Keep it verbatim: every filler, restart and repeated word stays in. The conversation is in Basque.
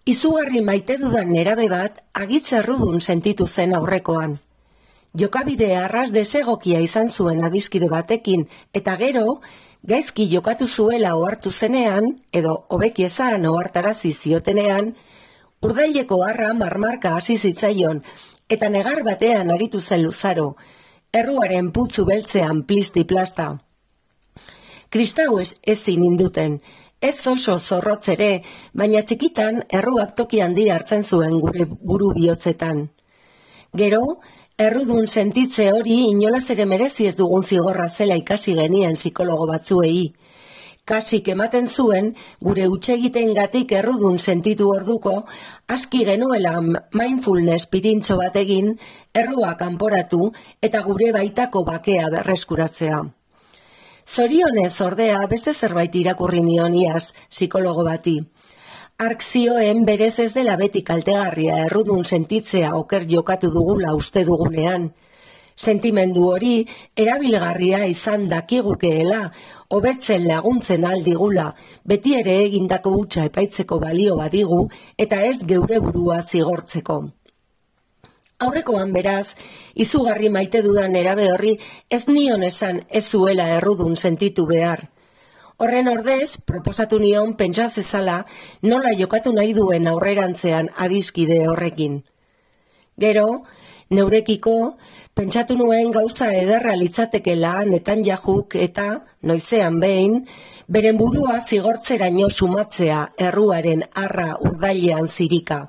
Izugarri maite dudan nerabe bat agitz errudun sentitu zen aurrekoan. Jokabide arras desegokia izan zuen adiskide batekin, eta gero, gaizki jokatu zuela ohartu zenean, edo hobeki esan ohartarazi ziotenean, urdaileko harra marmarka hasi zitzaion, eta negar batean aritu zen luzaro, erruaren putzu beltzean plisti-plasta. Kristau ez ezin induten, ez oso zorrotz ere, baina txikitan erruak toki handi hartzen zuen gure buru bihotzetan. Gero, errudun sentitze hori inolaz ere merezi ez dugun zigorra zela ikasi genien psikologo batzuei. Kasik ematen zuen, gure hutsegiteengatik errudun sentitu orduko, aski genuela mindfulness pirintxo bat egin, errua kanporatu eta gure baitako bakea berreskuratzea. Zorionez ordea beste zerbait irakurri nion iaz psikologo bati. Hark zioen berez ez dela beti kaltegarria errudun sentitzea oker jokatu dugula uste dugunean. Sentimendu hori erabilgarria izan dakigukeela, hobetzen laguntzen aldigula, beti ere egindako hutsa epaitzeko balio badigu eta ez geure burua zigortzeko. Aurrekoan beraz, izugarri maite dudan erabe horri ez nion esan ez zuela errudun sentitu behar. Horren ordez, proposatu nion pentsa zezala nola jokatu nahi duen aurrerantzean adiskide horrekin. Gero, neurekiko, pentsatu nuen gauza ederra litzatekela Netanyajuk eta, noizean behin, beren burua zigortzeraino sumatzea erruaren harra urdailean zirika.